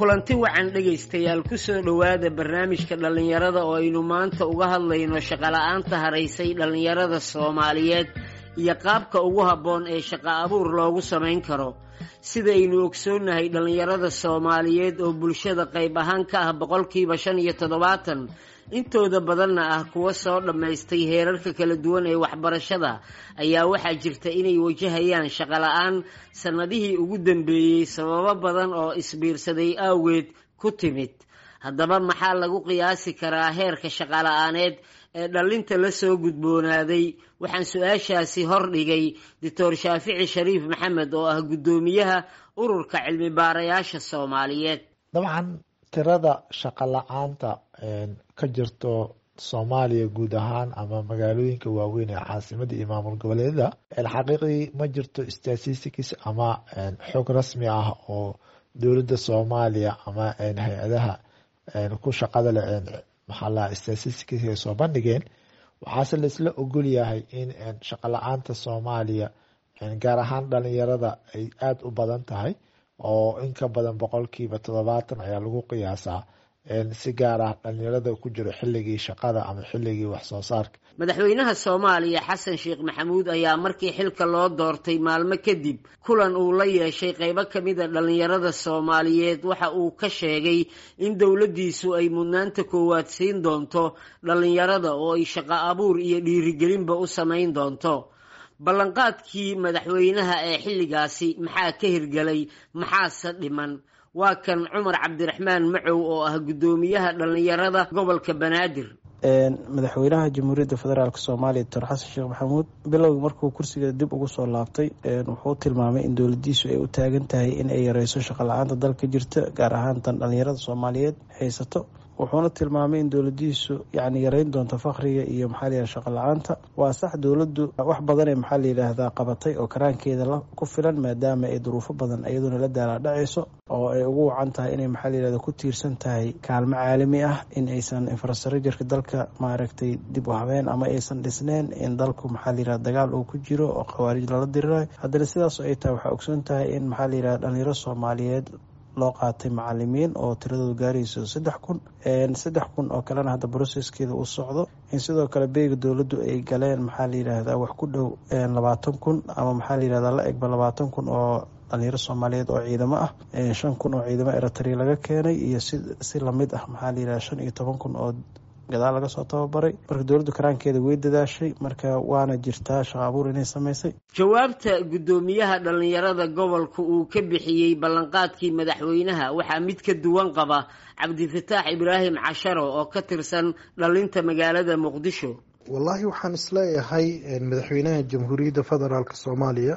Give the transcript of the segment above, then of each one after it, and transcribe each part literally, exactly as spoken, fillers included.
Kulanti wacan dhegaystayaal, kusoo dhowaada barnaamijka dhallinyarada oo aynu maanta uga hadlayno shaqola'aanta haraysay dhallinyarada Soomaaliyeed iyo qaabka ugu habboon ee shaqo abuur loogu samayn karo. Sidaynu ogsoonnahay, dhallinyarada Soomaaliyeed oo bulshada qayb ahaan ka ah boqolkiiba shan iyo toddobaatan, intooda badanna ah kuwa soo dhammaystay heerarka kala duwan ee waxbarashada, ayaa waxaa jirta inay wajahayaan shaqola'aan sannadihii ugu dambeeyey, sababo badan oo isbiirsaday awgeed ku timid. Haddaba, maxaa lagu qiyaasi karaa heerka shaqola'aaneed ee dhallinta la soo gudboonaaday? Waxaan su-aashaasi hor dhigay Doctor Shaafici Shariif Maxamed oo ah guddoomiyaha Ururka Cilmi Baarayaasha Soomaaliyeed. Dabcan, tirada shaqo la-aanta ka jirto Soomaaliya guud ahaan ama magaalooyinka waaweyn ee caasimada iyo maamul goboleedyada, xaqiiqdii ma jirto statistics ama xog rasmi ah oo dowladda Soomaaliya ama hay-adaha ku shaqada leh, maxaa la, statistics ay soo bandhigeen. Waxaase laisla ogol yahay in shaqo la-aanta Soomaaliya, gaar ahaan dhalinyarada, ay aada u badan tahay, oo in ka badan boqolkiiba toddobaatan ayaa lagu qiyaasaa, si gaar ah dhalinyarada ku jiro xilligii shaqada ama xilligii wax soo saarka. Madaxweynaha Soomaaliya Xasan Sheekh Maxamuud ayaa markii xilka loo doortay maalmo kadib kulan uu la yeeshay qaybo ka mida dhallinyarada Soomaaliyeed waxa uu ka sheegay in dowladdiisu ay mudnaanta koowaad siin doonto dhallinyarada oo ay shaqo abuur iyo dhiirigelinba u samayn doonto. Ballanqaadkii madaxweynaha ee xilligaasi maxaa ka hirgelay, maxaase dhiman? Waa kan Cumar Cabdiraxmaan Macow oo ah guddoomiyaha dhallinyarada gobolka Banaadir. Madaxweynaha Jamhuuriyadda Federaalk Soomaaliya, Doctor Xasan Sheekh Maxamuud, bilowgii markuu kursiga dib ugu soo laabtay wuxuu tilmaamay in dowladiisu ay u taagan tahay in ay yareyso shaqo la-aanta dalka jirta, gaar ahaan tan dhalinyarada Soomaaliyeed haysato. Wuxuuna tilmaamay in dowladiisu yani yareyn doonto faqriga iyo, maxaa la yidhahda, shaqo la-aanta. Waa sax, dowladdu wax badanee, maxaa la yidhaahdaa, qabatay oo karaankeeda ku filan, maadaama ay duruufo badan iyaduna la daalaadhacayso oo ay ugu wacan tahay inay, maxaa la yidhahda, ku tiirsan tahay kaalmo caalami ah, in aysan infrastructureka dalka, maaragtay, dib u habeen ama aysan dhisneen, in dalku, maxaa la yidhahda, dagaal uu ku jiro oo khawaarij lala dirirayo. Haddana sidaas ay tahay, waxaa ogsoon tahay in, maxaa la yidhahda, dhalinyaro Soomaaliyeed loo qaatay macalimiin oo tiradoodu gaarayso saddex kun, saddex kun oo kalena hadda processkeeda uu socdo, in sidoo kale beega dowladdu ay galeen, maxaa la yidhaahdaa, wax ku dhow labaatan kun ama, maxaa la yidhahdaa, la egba labaatan kun oo dhalinyaro Soomaaliyeed oo ciidamo ah, shan kun oo ciidamo Eritrea laga keenay iyo si si lamid ah, maxaa la yidhahda, shan iyo toban kun oo gadaal laga soo tababaray. Marka dowladdu karaankeeda way dadaashay, marka waana jirtaa shaqo abuur inay samaysay. Jawaabta guddoomiyaha dhallinyarada gobolka uu ka bixiyey ballanqaadkii madaxweynaha waxaa mid ka duwan qaba Cabdifataax Ibraahim Casharo oo ka tirsan dhalinta magaalada Muqdisho. Wallaahi, waxaan isleeyahay madaxweynaha Jamhuuriyadda Federaalk Soomaaliya,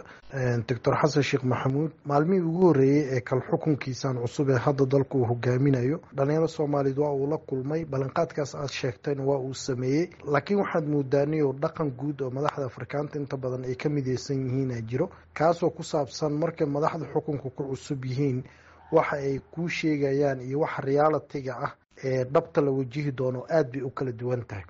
Doctor Xasan Sheekh Maxamuud, maalmihii ugu horreeyey ee kal xukunkiisan cusub ee hadda dalku uu hogaaminayo, dhalinyaro Soomaaliyeed waa uu la kulmay, ballanqaadkaas aad sheegtayna waa uu sameeyey. Laakiin waxaad moodaaniyo dhaqan guud oo madaxda Afrikaanta inta badan ay ka mideysan yihiin aa jiro, kaasoo ku saabsan markay madaxda xukunka ku cusub yihiin, waxa ay kuu sheegayaan iyo waxa realityga ah ee dhabta la wajihi doono aada bay u kala duwan tahay.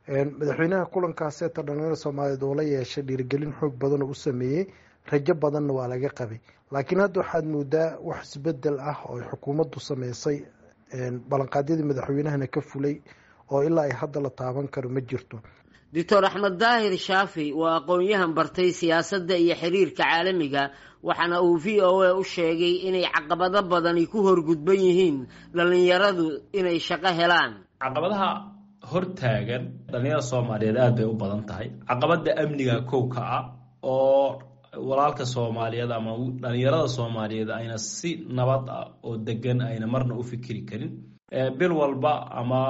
Madaxweynaha kulankaaseta dhalinyarada Soomaaliyeed oo la yeeshay dhiirigelin xoog badan oo u sameeyey, rajo badanna waa laga qabay. Laakiin hadda waxaad moodaa wax isbedel ah oo xukuumaddu sameysay, ballanqaadyadii madaxweynahana ka fulay oo ilaa ay hadda la taaban karo ma jirto. Doctor Axmed Daahir Shaafi waa aqoon-yahan bartay siyaasadda iyo xiriirka caalamiga, waxaana uu V O A u sheegay inay caqabado badani ku horgudban yihiin dhallinyaradu inay shaqo helaan. Caqabadaha hortaagan dhalinyarada Soomaaliyeed aada bay u badan tahay. Caqabada amniga kow ka ah, oo walaalka Soomaaliyeed ama dhalinyarada Soomaaliyeed ayna si nabad ah oo degan ayna marna u fikiri karin. Bil walba ama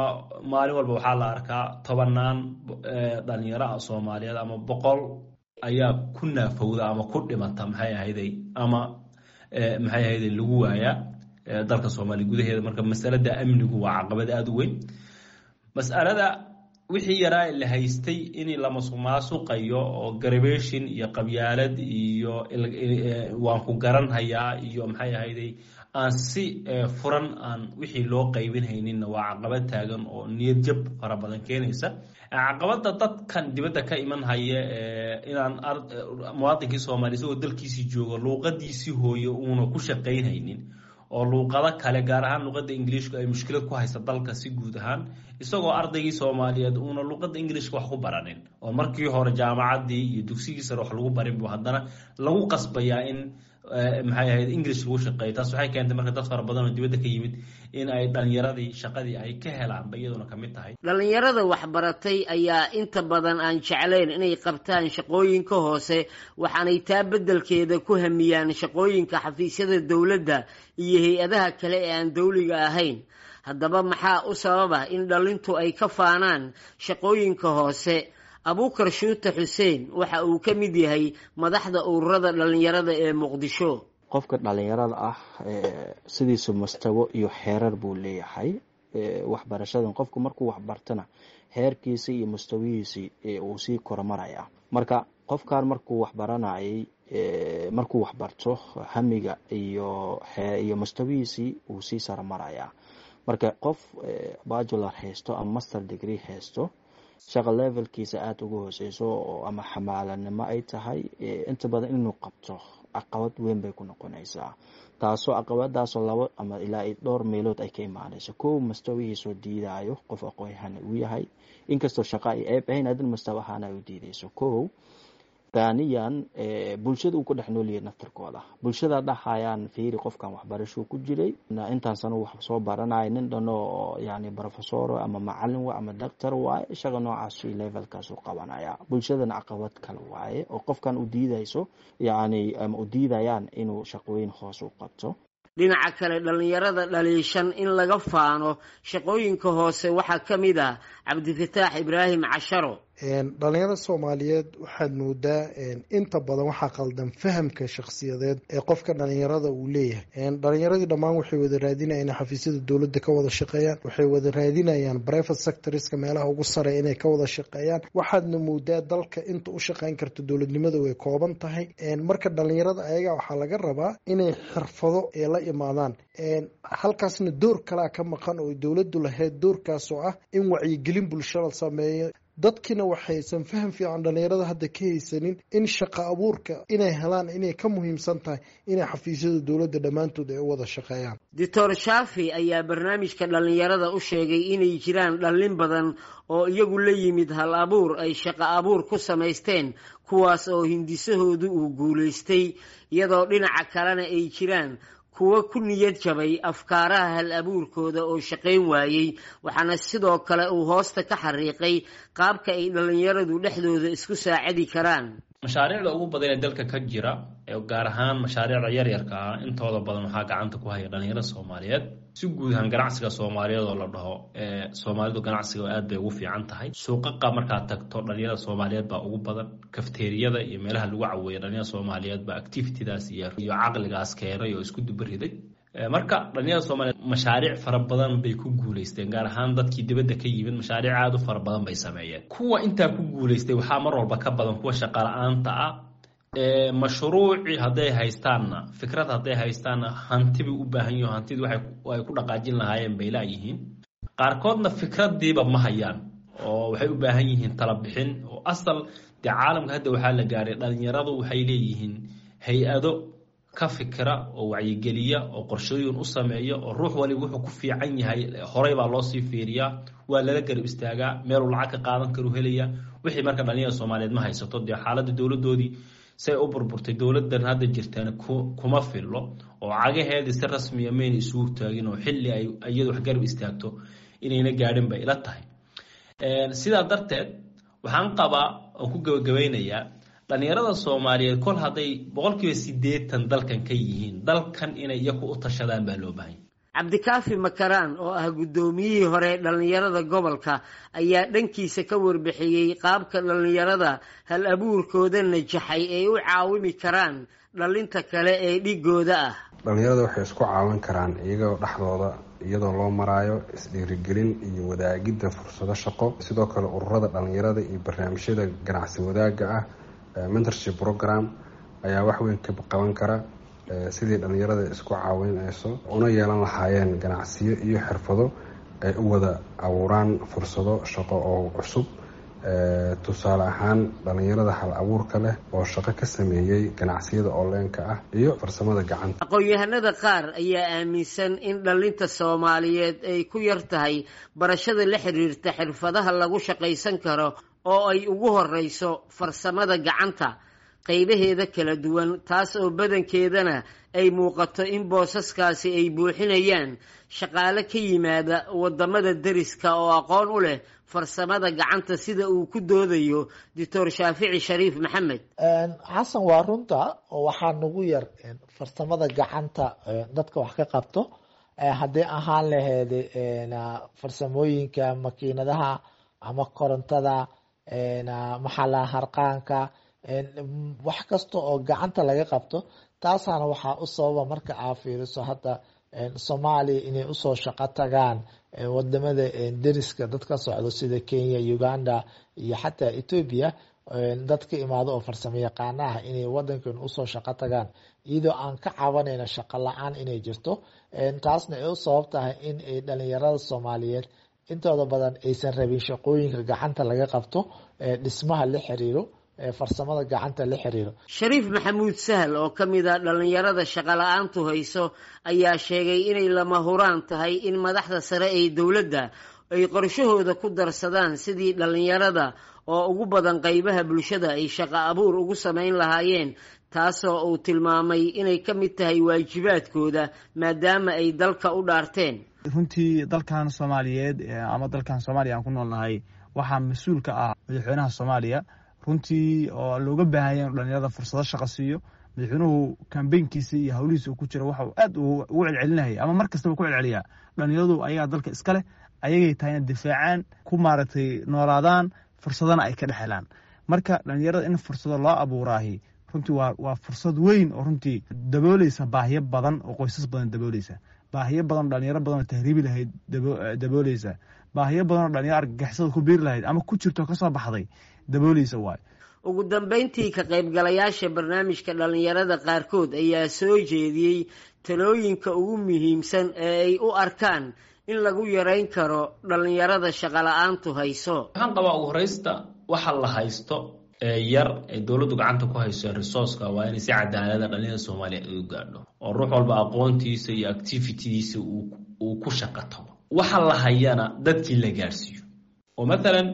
maalin walba waxaa la arkaa tobanaan dhalinyaro ah Soomaaliyeed ama boqol ayaa ku naafowda ama ku dhimata, maxay ahayday, ama maxay ahayday, lagu waayaa dalka Soomaaliya gudaheeda. Marka masalada amnigu waa caqabad aada u weyn. Mas'alada wixii yaraa la haystay in la masuqmaasuqayo oo garabeshin iyo qabyaalad iyo waan ku garanhayaa iyo, maxay ahayday, aan si furan aan wixii loo qaybin hayninna waa caqabad taagan oo niyad jab fara badan keenaysa. Caqabada dadkan dibadda ka iman haya, inaan muwaadinkii Soomaaliya isagoo dalkiisii joogo, luuqadiisii hooyo uuna ku shaqaynhaynin. oo luuqado kale, gaar ahaan luuqadda Ingiliishku ay mushkilad ku haysa dalka si guud ahaan, isagoo ardaygii Soomaaliyeed uuna luuqadda Ingiliishka wax ku baranin oo markii hore jaamacaddii iyo dugsigii sare wax lagu barin buu haddana lagu qasbayaa in maxay ahayd English lagu shaqeeyo. Taas waxay keentay marka dad fara badan oo dibadda ka yimid in ay dhalinyaradii shaqadii ay ka helaan ba iyaduna ka mid tahay. Dhallinyarada waxbaratay ayaa inta badan aan jeclayn inay qabtaan shaqooyinka hoose, waxaanay taa beddelkeeda ku hamiyaan shaqooyinka xafiisyada dowladda iyo hay-adaha kale ee aan dowliga ahayn. Haddaba maxaa u sababa in dhalintu ay ka faanaan shaqooyinka hoose? Abuukar Shuute Xuseen waxa uu ka mid yahay madaxda ururada dhallinyarada ee Muqdisho. Qofka dhallinyarada ah sidiisu mustawo iyo xeerar buu leeyahay waxbarashadan. Qofku markuu waxbartana heerkiisi iyo mustawihiisi uu sii korumaraya. Marka qofkan markuu waxbaranayay, markuu waxbarto, hamiga iyo iyo mustawihiisii uu sii saromaraya. Marka qof bachelor haysto ama master degree haysto, shaqa levelkiisa aada uga hooseyso oo ama xamaalanimo ay tahay, inta badan inuu qabto caqabad weyn bay ku noqonaysaa, taasoo caqabadaasoo labo ama ilaa dhowr meelood ay ka imaanayso. Kow, mustawihiisoo diidayo qof aqoon-yahan uu yahay, inkastoo shaqa ay ceeb ahayn, haddana mustawa ahaan ay u diidayso. Kow, thaniyan, bulshada uu ku dhex nool yahay naftirkooda, bulshada dhahayaan fiiri qofkan waxbarashuu ku jiray intaan sano wax soo baranaya, nin dhano oo yani professor ama macalin wa ama doctor waaye, shaqa noocaas levelkaas u qabanaya. Bulshadana caqabad kale waaye oo qofkan u diidayso, yani ama u diidayaan inuu shaqooyin hoos u qabto. Dhinaca kale, dhallinyarada dhaliishan in laga faano shaqooyinka hoose waxaa ka mid ah Cabdifataax Ibraahim Casharo. Dhalinyarada Soomaaliyeed waxaad moodaa inta badan waxaa qaldan fahamka shakhsiyadeed ee qofka dhalinyarada uu leeyahay. Dhalinyaradii dhammaan waxay wada raadinayaan inay xafiisyada dowladda ka wada shaqeeyaan, waxay wada raadinayaan private sectorska meelaha ugu sareeya inay ka wada shaqeeyaan. Waxaadna moodaa dalka inta u shaqeyn karta dowladnimada way kooban tahay. Marka dhalinyarada ayaga waxaa laga rabaa inay xirfado ee la imaadaan, halkaasna door kalaa ka maqan oo dowladdu lahayd, doorkaas oo ah in wacyigelin bulsho la sameeyo. Dadkiina waxaysan faham fiican dhalinyarada hadda ka haysanin in shaqa abuurka inay helaan inay ka muhiimsan tahay inay xafiisyada dowladda dhammaantood ay u wada shaqeeyaan. Doctor Shaafi ayaa barnaamijka dhallinyarada u sheegay inay jiraan dhallin badan oo iyagu la yimid hal abuur ay shaqo abuur ku samaysteen, kuwaas oo hindisahoodu uu guulaystay, iyadoo dhinaca kalena ay jiraan kuwo ku niyad jabay afkaaraha hal abuurkooda oo shaqayn waayey. Waxaana sidoo kale uu hoosta ka xariiqay qaabka ay dhallinyaradu dhexdooda isku saacidi karaan. Mashaariicda ugu badan ee dalka ka jira, gaar ahaan mashaariicda yaryarka ah, intooda badan waxaa gacanta ku haya dhalinyarada Soomaaliyeed. Si guud ahaan ganacsiga Soomaaliyeed oo la dhaho Soomaalidu ganacsiga aad bay ugu fiican tahay. Suuqaqa markaad tagto dhalinyarada Soomaaliyeed baa ugu badan, kafteeriyada iyo meelaha lagu caweeyo dhalinyarada Soomaaliyeed baa activitydaas iyo caqligaas keenay oo isku dubariday. Marka dhalinyarada Soomaaliyeed mashaariic fara badan bay ku guulaysteen, gaar ahaan dadkii dibadda ka yimid mashaariic aada u fara badan bay sameeyeen. Kuwa intaa ku guulaystay waxaa mar walba ka badan kuwa shaqa la-aanta ah. Mashruuci hadday haystaanna, fikrad hadday haystaanna, hanti bay u baahan yihin, hantidii waxay ku dhaqaajin lahaayeen bay laayihiin. Qaarkoodna fikradiiba ma hayaan oo waxay u baahan yihiin talabixin oo asal dee caalamka hadda waxaa la gaaray dhalinyaradu waxay leeyihiin hay-ado ka fikira oo wacyigeliya oo qorshooyin u sameeya, oo ruux waliba wuxuu ku fiican yahay horey baa loosii fiiriyaa, waa lala garab istaagaa, meeluu lacag ka qaadan karu helaya. Wixii marka dhalinyarada Soomaaliyeed ma haysato, dee xaaladda dowladoodii say u burburtay, dowladan hadda jirtaana kuma fillo oo cagaheedii si rasmiya mayna isugu taagin oo xilli ay iyadu wax garab istaagto inayna gaadhin bay ila tahay. Sidaa darteed waxaan qabaa oo ku gabagabeynayaa dhalinyarada Soomaaliyeed kol hadday boqolkiiba siddeetan dalkan ka yihiin, dalkan inay iyaku u tashadaan baa loo baahanya. Cabdikaafi Makaraan oo ah guddoomiyihii hore dhallinyarada gobolka ayaa dhankiisa ka warbixiyey qaabka dhallinyarada hal abuurkooda najaxay ay u caawimi karaan dhalinta kale ee dhigooda ah. Dhalinyarada waxay isku caawin karaan iyagoo dhexdooda, iyadoo loo maraayo isdhiirigelin iyo wadaagidda fursado shaqo. Sidoo kale ururada dhalinyarada iyo barnaamijyada ganacsi wadaagga ah, mentorship program, ayaa wax weyn ka qaban kara sidii dhalinyarada isku caawinayso una yeelan lahaayeen ganacsiyo iyo xirfado ay u wada abuuraan fursado shaqo oo cusub, Tusaale ahaan dhalinyarada hal abuurka leh oo shaqo ka sameeyey ganacsiyada onlineka ah iyo farsamada gacanta. Aqoon-yahanada qaar ayaa aaminsan in dhalinta Soomaaliyeed ay ku yar tahay barashada la xiriirta xirfadaha lagu shaqaysan karo oo ay ugu horeyso farsamada gacanta qaybaheeda kala duwan, taas oo badankeedana ay muuqato in boosaskaasi ay buuxinayaan shaqaale ka yimaada wadamada deriska oo aqoon u leh farsamada gacanta, sida uu ku doodayo Doctor Shaafici Shariif Maxamed. Xasan, waa runta oo waxaa nagu yar farsamada gacanta dadka wax ka qabto, haddii ahaan laheyd farsamooyinka makiinadaha ama korontada, maxaa harqaanka, wax kasta oo gacanta laga qabto. Taasaana waxaa u sababa marka aa fiiriso hadda Soomaaliya inay usoo shaqo tagaan wadamada deriska dad ka socdo sida Kenya, Uganda iyo xataa Ethiopia, dad ka imaado oo farsamo yaqaana ah inay wadankan usoo shaqo tagaan, iyadoo aan ka cabanayna shaqo la-aan inay jirto. Taasna ay u sabab tahay in ay dhalinyarada Soomaaliyeed intooda badan aysan rabin shaqooyinka gacanta laga qabto, dhismaha la xiriiro, farsamada gacanta la xiriiro. Shariif Maxamuud Sahal oo ka mid ah dhalinyarada shaqo la-aantu hayso ayaa sheegay inay lama huraan tahay in madaxda sare ee dowladda ay qorshahooda ku darsadaan sidii dhalinyarada oo ugu badan qaybaha bulshada ay shaqo abuur ugu samayn lahaayeen, taasoo uu tilmaamay inay ka mid tahay waajibaadkooda maadaama ay dalka u dhaarteen. Runtii dalkan Soomaaliyeed ama dalkan Soomaaliya aan ku noolnahay waxaa mas-uul ka ah madaxweynaha Soomaaliya, runtii oo looga baahanya inu dhalinyarada fursado shaqo siiyo. Madaxweynuhu kambeynkiisa iyo howlihiisa uu ku jiro waxa uu aad ugu celcelinayay ama mar kastaba ku celceliyaa, dhalinyaradu ayagaa dalka iska leh, ayagay tahay inay difaacaan, ku maaragtay noolaadaan, fursadana ay ka dhex helaan. Marka dhalinyarada in fursado loo abuuraahi runtii waa waa fursad weyn oo runtii dabooleysa baahiyo badan oo qoysas badan dabooleysa, baahiyo badan oo dhalinyaro badan oo tahriibi lahayd dabooleysa, baahiyo badan oo dhalinyaro argagixisada ku biiri lahayd ama ku jirto kasoo baxday dabooleysa waayo. Ugu dambeyntii, ka qaybgalayaasha barnaamijka dhalinyarada qaarkood ayaa soo jeediyey talooyinka ugu muhiimsan ee ay u arkaan in lagu yareyn karo dhalinyarada shaqo la-aantu hayso. Waxaan qabaa ugu horeysta waxa la haysto ee yar ee dowladdu gacanta ku hayso resourceka waa inay si cadaalada dhalinyarada Soomaaliya ay u gaadho, oo ruux walba aqoontiisa iyo activitydiisa uu ku shaqo tago, waxa la hayana dadkii la gaadhsiiyo. Oo mathalan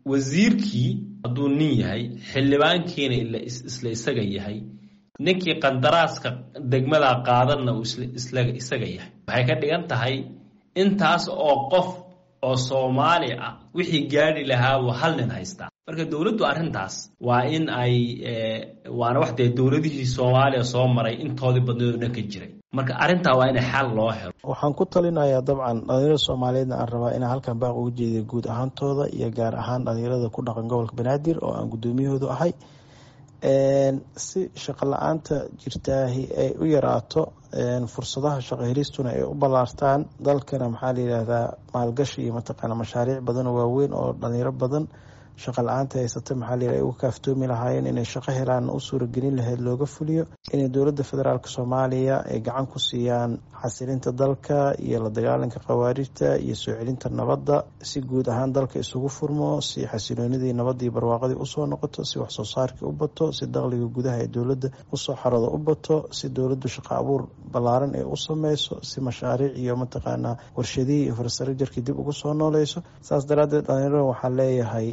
wasiirkii hadduu nin yahay, xildhibaankiina isla isaga yahay, ninkii qandaraaska degmada qaadanna uu isla isaga yahay, waxay ka dhigan tahay intaas oo qof oo Soomaali ah wixii gaadhi lahaa wuu hal nin haystaa. Marka dowladdu arrintaas waa in ay, waana wax dee dowladihii Soomaaliya soo maray intoodii badneed oo dhan ka jiray, marka arrintaa waa in xal loo helo. Waxaan ku talinayaa dabcan dhalinyarada Soomaaliyeedna aan rabaa inaan halkan baaq uga jeediyo guud ahaantooda iyo gaar ahaan dhalinyarada ku dhaqan gobolka Banaadir oo aan guddoomiyahoodu ahay, si shaqo la-aanta jirtaahi ay u yaraato, fursadaha shaqo helistuna ay u ballaartaan, dalkana maxaa la yidhaahdaa maalgashi iyo mataqaana mashaariic badan oo waaweyn oo dhalinyaro badan shaqo la-aanta haysata maxaa la yidhahda ay uga kaaftoomi lahaayeen inay shaqo helaan u suuragelin lahayd looga fuliyo, inay dowladda federaalka Soomaaliya ay gacan ku siiyaan xasilinta dalka iyo la dagaalanka khawaarijta iyo soo celinta nabadda, si guud ahaan dalka isugu furmo, si xasiloonidii nabadii barwaaqadii usoo noqoto, si wax soo saarkii u bato, si dakhliga gudaha ee dowladda usoo xarado u bato, si dowladdu shaqo abuur ballaaran ee u sameyso, si mashaariic iyo mataqaanaa warshadihii iyo infrastructure-kii dib ugu soo nooleyso. Saas daraaddeed dhalinyarada waxaa leeyahay,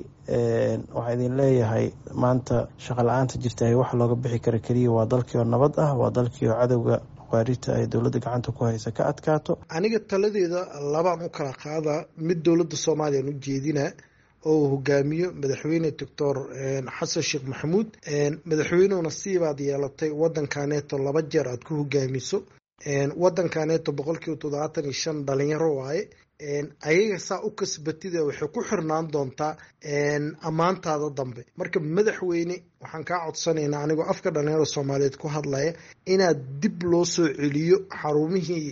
waxaa idin leeyahay maanta shaqo la-aanta jirta waxa looga bixi kara keliya waa dalkii oo nabad ah, waa dalkii oo cadowga khawaarijta ay dowladda gacanta ku haysa ka adkaato. Aniga taladeeda labaan u kala qaadaa, mid dowladda Soomaaliya u jeedinaa oo uu hogaamiyo madaxweyne Doctor Xasan Sheekh Maxamuud. Madaxweynuhu nasiibaad yeelatay wadankaneeto laba jeer aad ku hogaamiso, wadankaneeto boqolkiiba toddobaatan iyo shan dhalinyaro waaye. Ayaga saa u kasbatida waxay ku xirnaan doontaa ammaantaada dambe. Marka madaxweyne, waxaan kaa codsanaynaa anigoo afka dhalinyarada Soomaaliyeed ku hadlaya inaad dib loo soo celiyo xarumihii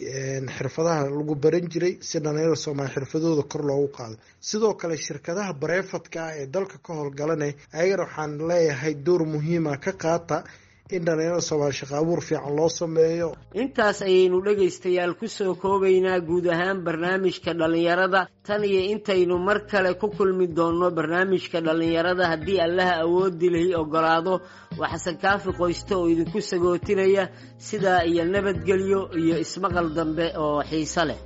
xirfadaha lagu baran jiray si dhalinyarada Soomaaliya xirfadooda kor loogu qaado. Sidoo kale shirkadaha bareefadka ah ee dalka ka howlgalanay ayagana waxaan leeyahay door muhiima ka qaata In dhalinyarada Soomaaliya shaqa abuur fiican loo sameeyo. Intaas ayaynu dhegaystayaal ku soo koobaynaa guud ahaan barnaamijka dhallinyarada. Tan iyo intaynu mar kale ku kulmi doonno barnaamijka dhallinyarada, haddii Allaha awoodi lihi oggolaado, waa Xasan Kaafi Qoyste oo idinku sagootinaya sidaa iyo nabadgelyo iyo ismaqal dambe oo xiiso leh.